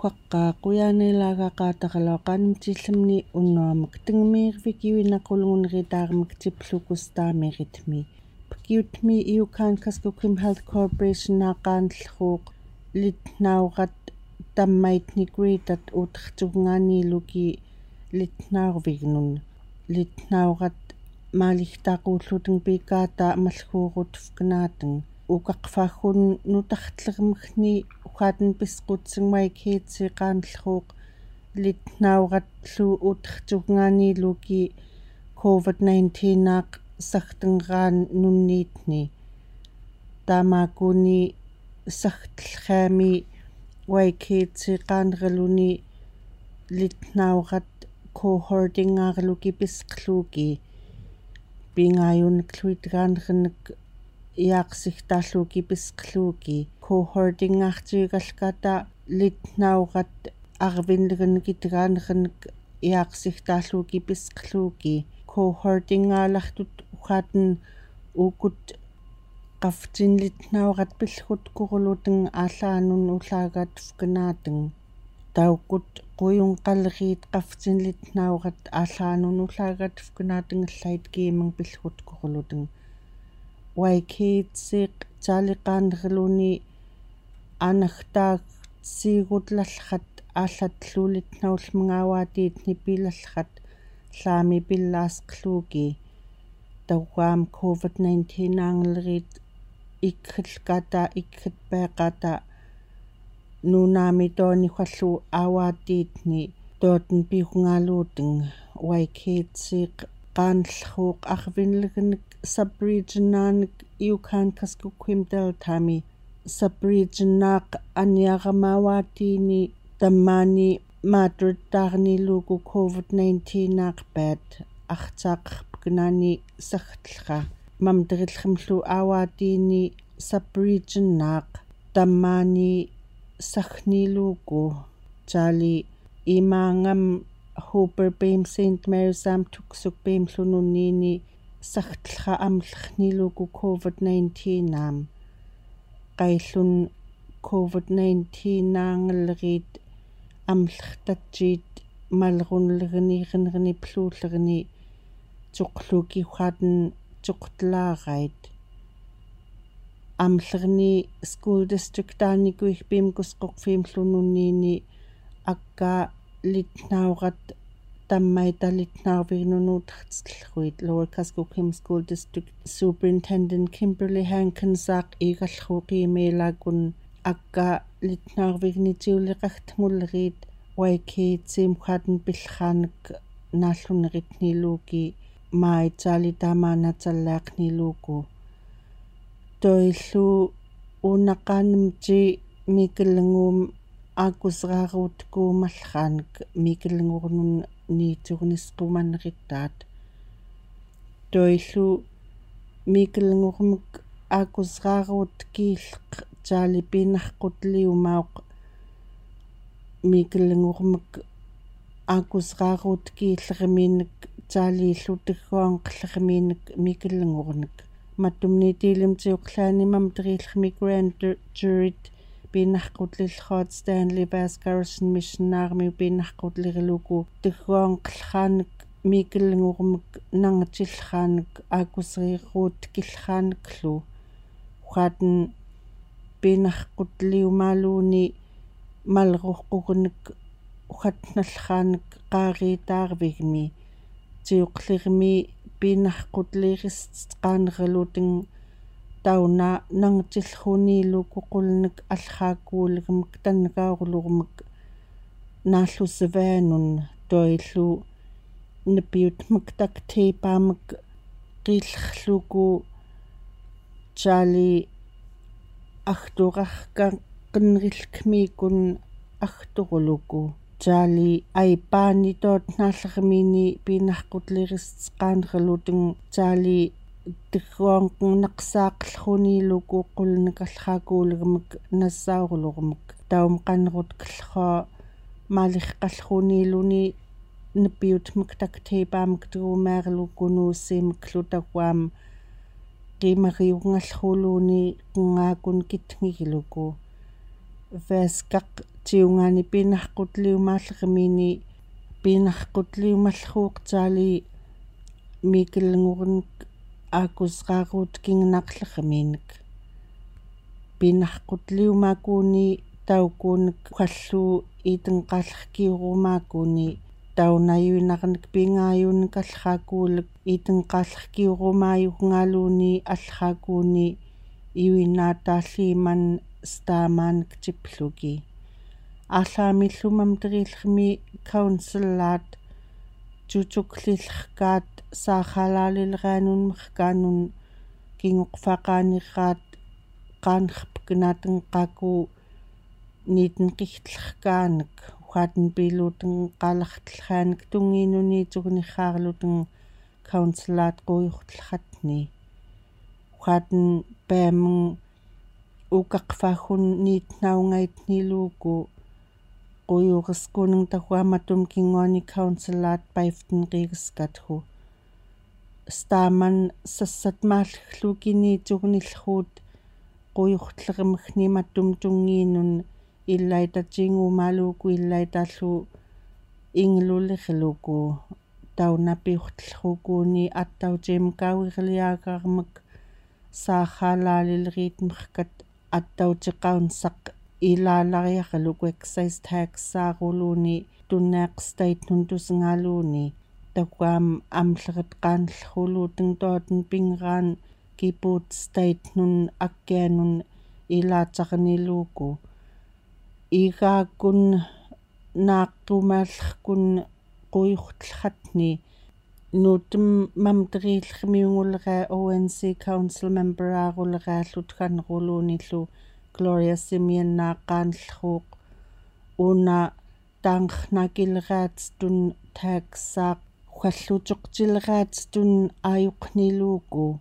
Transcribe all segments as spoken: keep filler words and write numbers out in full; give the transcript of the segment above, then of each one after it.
Ukwaqkaq uyan elaga qataqlauq anmcilmni unuamk tngmirvik iwinaq ulngunritarmk ciplukus tamiritmi. Pkiutmi iukan Kuskokwim Health Corporation naqanlhuq litnaurat tammaitni gritat utrcuknganiluki litnaurvignun. Litnaurat maliktaq ullutng pikata malhurutvknatng. Ukaqfahun nutartlrmkni uhatn pisqutsng waikhitsiqanlhuq litnaurat lhu utrcuknganiluki COVID nineteen naq saktngan nunnitni. Tamakuni saktlhami waikhitsiqanrluni litnaurat cohortingarluki pisqluki. Pingayunklhuitganrnk iaqsiktalluki pisqluki. Cohortingartigalkata litnaurat arvinlgnk itganrnk iaqsiktalluki pisqluki. Cohortingalahtut uhatn ukut qafcin litnaurat pilhutkurlutng allanun ullagatvknatng. Taukut quyunqalrit qafcin litnaurat allanun ullagatvknatng llait kimng pilhutkurlutng. Waikhitsiq caliqanrluni anaktaksigut lalhat allatlu litnaulmng awatitni pilallhat llami pilasqluki. Tauam COVID nineteen nanglrit ikhlkata ikhlpiqata nunami toni uhallu awatitni totn piuqngalutng. Waikhitsiq qanlhuq arvinlgnk sub-region-ank iukan Kuskokwim Deltami. Sub-region naq aniaram awatini tammani matrtaqniluku COVID nineteen naq pet arcaqpknani saktlha. Mamdrilhmlu awatini sub-region naq tammani sakhniluku. Cali imangam Hooper Beam, Saint Mary's am Tuksuk Beam lhununini saktlha amlhniluku COVID nineteen am. Qailun COVID nineteen nanglrit amlhtajit malrunlgni rnrni plullgni cuqluki uhatn cuqtlarait. Amlrni school district-anikuik Beam Kuskokwim lhununini akka litnaurat tammaita litnaurvignun utrtslhuit. Lower Kuskokwim School District Superintendent Kimberly Hankins aq igalhuqi melagun akka litnaurvigni ciuliqaktmulrit waikhitsiq uhatn pilhank nallunritniluki mai cali tamana callaqniluku. Toillu unaqanmci miklngum akusrarutku mallhank miklngurnun nitsurnisqumanritat. Toillu miklngurmk akusrarutkiilq cali pinarqutliumauq miklngurmk akusrarutkiilrmink cali llu tigguanqlrmink miklngurnk. Mattumni tilimciuqlani mamdrilhmi grand juryt pinarqutlilhut Stanley Vasquez Mission Army pinarqutlirluku tigguanqlhank miklngurmk nangcilhank akusrirutkilhanklu. Uhatn pinarqutliumaluni malruqqugnk uhatnalhank qaritarvigmi. Ciuqlirmi pinarqutlirisqanrlutng tauna nangcilhuniluku qulnk allhakuulgmk tanngaurlurmk nallusvainun. Toillu npiutmktak teipamk qilhluku cali akturarkaqnrilkmikun akturluku. Cali aipani totnalrmini pinarqutlirisqanrlutng cali tigguanqnaqsaqlhuniluku qulnk allhakuulgmk nassaurlurmk. Taum qanrutklhu maliqalhuniluni npiutmktak teipamk trumeerluku nuusimklu tauam qimariungalhuluni qngakun kitngikluku. Veskak tiungani pinahkut liumalrmini, pinahkut liumalhuq tali mikilngurunik akus rarut kingnaklerminik. Pinahkut liumakuni taukunik kallu itengkalkiurumakuni, taunayuinarnik pingayunik alhakulik itengkalkiurumayuk ngaluni alhakuni iwinataliman stamanik tipluki. Alami lumam terilmi kaunselat, cucuk lilhkat, sahalalil ranun mehkanun, kingukfakanirat, kanhpknateng kaku, nitnkitlhkanik, uhaten piluteng kalahtlhanik tunginuni cugniharluteng kaunselat kuyuhtlhatni. Uhaten pemeng ukakfahun nitnaungaitni luku, kuyuhskuneng tahuamatum kingoni kaunselat paiften riskathu. Staman sasatmalhluki ni cugnilhut, kuyuhtlermhni matum tunginun, ilaita cingumaluku ilaita lu inglulihluku, taunapiuhtlhukuni attaucim kawirliagarmek, sahalalil ritmhkat, attauci kaunsaq ilalariahluk excise tax saruluni, tunneq state nun tusngaluni, takuam amlhret kanlhuluteng toten pingran kiput state nun akkenun ilacarniluku. Igakun naqumalhkun kuyuhtlhatni, nutem mamterilhmiungulra O N C council member arulra lutkanruluni lu Gloria Simeon naqanlhuq, una tangnakilratstun taksaq, uhallucuqcilratstun ayuqniluku.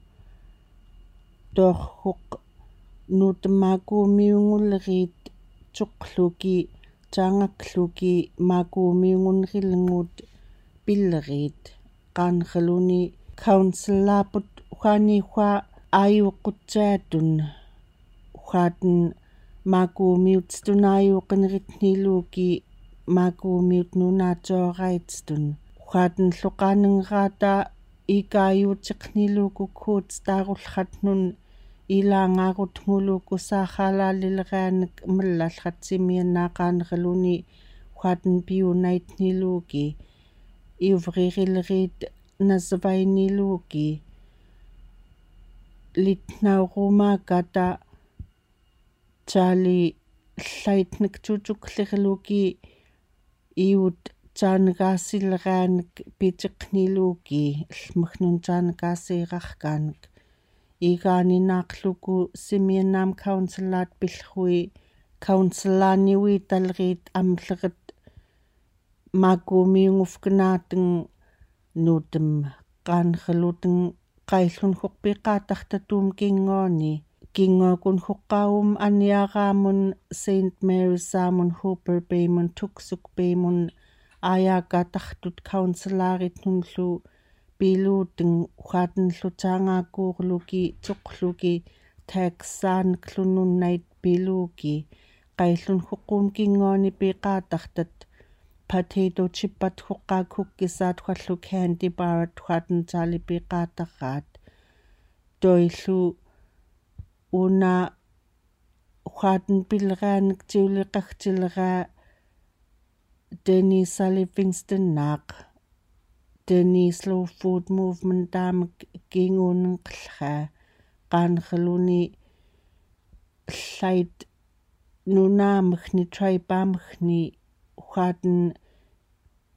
Tohuk nutem makumiungulrit cuqluki, cangakluki, makumiungunrilngut pilrit, kanreluni kaunselaput, uhanihua ayuqutcetun, uhaten makumiutstun ayuqenritniluki, makumiut nunacooraitstun, uhaten luqanengrata ikayuciqniluku kut tarulhat nun, ilangarutnguluku sahalalilranik mellalhat Simeon naqanreluni, uhaten piunaitniluki, iuvririlrit nasvainiluki, litnaurumakata, cali llaitnek cucuklirluki, iut caankasilranik piciqniluki, lmehnun caankasirahkanik. Igani naqluku Simeon nam kaunselat pilhui, kaunselani uitalrit amleret makumiungufknateng nutem, kanreluteng qaillunhuq piqatahtatum kingoni, kingokun huqaum aniaramun Saint Mary's amun Hooper Bay mun Tuksuk Bay mun ayakatahtut kaunselarit nun lu piluteng, uhaten lu cangakurluki cuqluki, taksaanik lu nunnait piluki, qaillunhuqum kingoni piqatahtat, potato chipat huqak hukkisat, uhallu candy bar-at, uhaten cali piqatahat. Toilu una uhaten pilranik ciuliqahcilra Denisa Livingston naq, Denise Slow Food Movement tamek kingunengqlha, kanreluni llait nunamehni, tribe-amehni, uhaten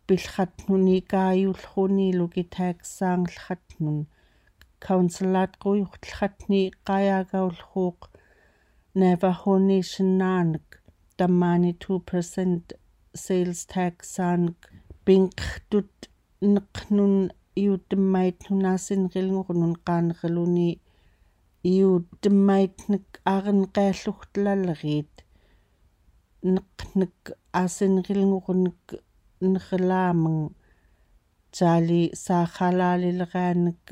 pilhatnuni kayulhuniluki taksang lhatnun. Kaunselat kuyuhlhatni qayagaulhuq Navajo Nation nanek, tamani two percent sales tax anek, pingqtut neqnun iutemmait nun asinrilngurnun, kanreluni iutemmaitnek arenqailluhtlalrit, neqnek asinrilngurnek, nerlameng, cali sahalalilranek,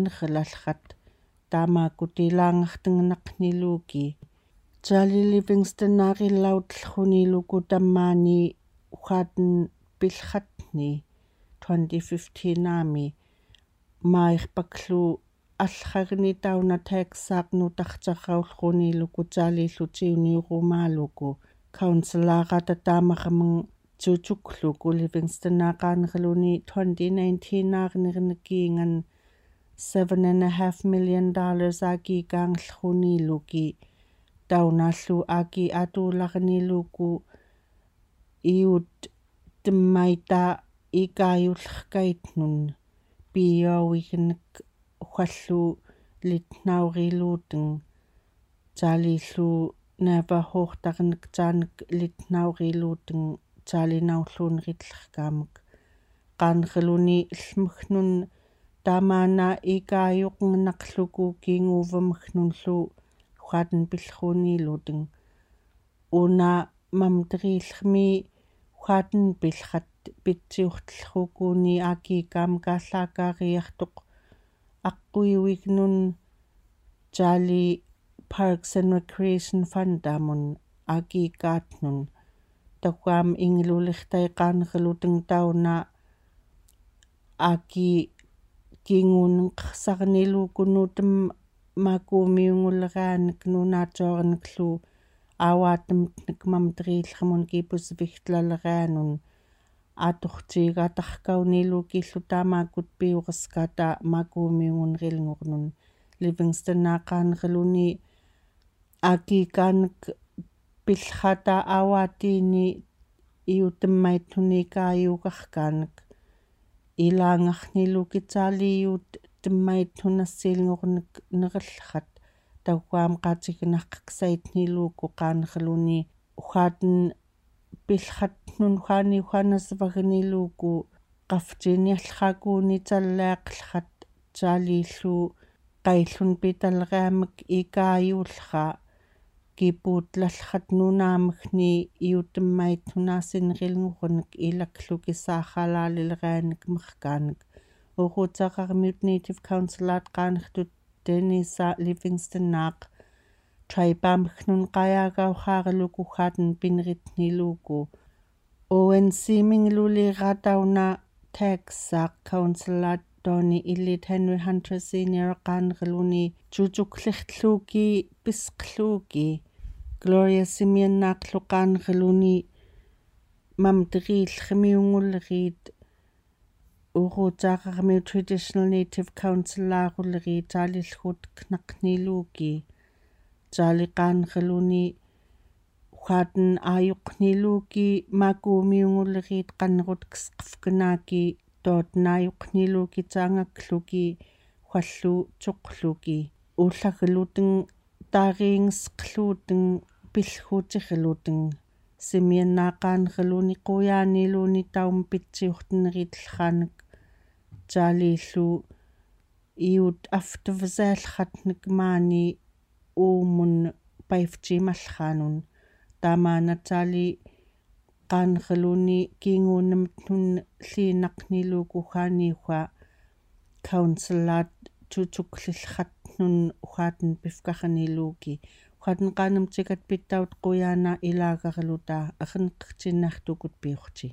nerlalhat, tamakut ilangartengnaqniluki. Charlie Livingston aqillaut lluniluku tammani uhaten pilhatni twenty fifteen ami mairpaklu alhagni tauna Texas nutaqcarraulluniluku Charlie-llu tiuniurumaluku. Council-ara tatamarmeng Tutukluku Livingston-a qaanrluni twenty nineteen-a arnirnikingan seven and a half million dollars akikanglluniluki. Taunallu aki atularniluku iutmmaita ikayullekaitnun pioiknek uhallu litnauriluting. Charlie-llu Navajo-tarnektanek litnauriluting Charlie naulluniritlerkamek. Qaanrluni llmehnun tamana ikayuqngnaqluku kinguvemhnunllu uhaten pilhuniluting. Una mamterilhmi uhaten pilhat pitsiuhtlhukuni akikamek allakariaqtuq aqquiuiknun Charlie Parks and Recreation Fund-amun akikatnun. Tauham inglulihtai qaanrluting tauna aki kingunngksarniluku nutem makumiungulranek nunatorneklu awatemtnek mamterilhmun kipusvihtlalaranun atuqtigataqkaunilukillu tamakut piuqskata makumiungunrilngurnun. Livingston-a qaanrluni akikanek pilhata awatini iutmmaitnun ikayukarkanek. Ilangarniluki Charlie iutmmaitnun assilngurnek nerlhat tauham qatignaqqsaitniluku qaanrluni uhaten pilhatnun uhani uhanasvagniluku qaftsiniallhakuni talliaqlhat Charlie-llu qaillun pitalramek ikayullha kiputlalhat nunamehni iutmmaitnun asinrilngurnek ilakluki saqalalilranek merkanek. Urutsaqarmiut Native Council-at qaanrtut Denisa Livingston-aq tribe-amhnun qayagauqarluku uhaten pinritniluku. Uwen siminglulira tauna Texas-aq Council-at Tony Elliott Henry Hunter Senior qaanrluni tutukliqluki pisqluki. Gloria Simeon-aqlu qaanrluni mamterilhmiungulrit. Urutsaqarmiut Traditional Native Council-arulri Charlie-lhut knaqniluki. Charlie qaanrluni uhaten ayuqniluki makumiungulrit qanrutkesqevknaki toten ayuqniluki tangakluki uhallu tuqluki. Ullagluting tariingsqluting pilhutirluting. Simeon-a qaanrluni quyaniluni taum pitsiuhtenritlhanek Charlie-llu iut aftvsaqlhatnek mani umun paivtimalhanun. Tamana Charlie qaanrluni kingunemtnun llinaqniluku uhani uha Council-at tutuklilhatnun uhaten pifkarniluki. Uhaten qanemtikat pittaut quyana ilagarluta erneqtinaqtukut piuqti.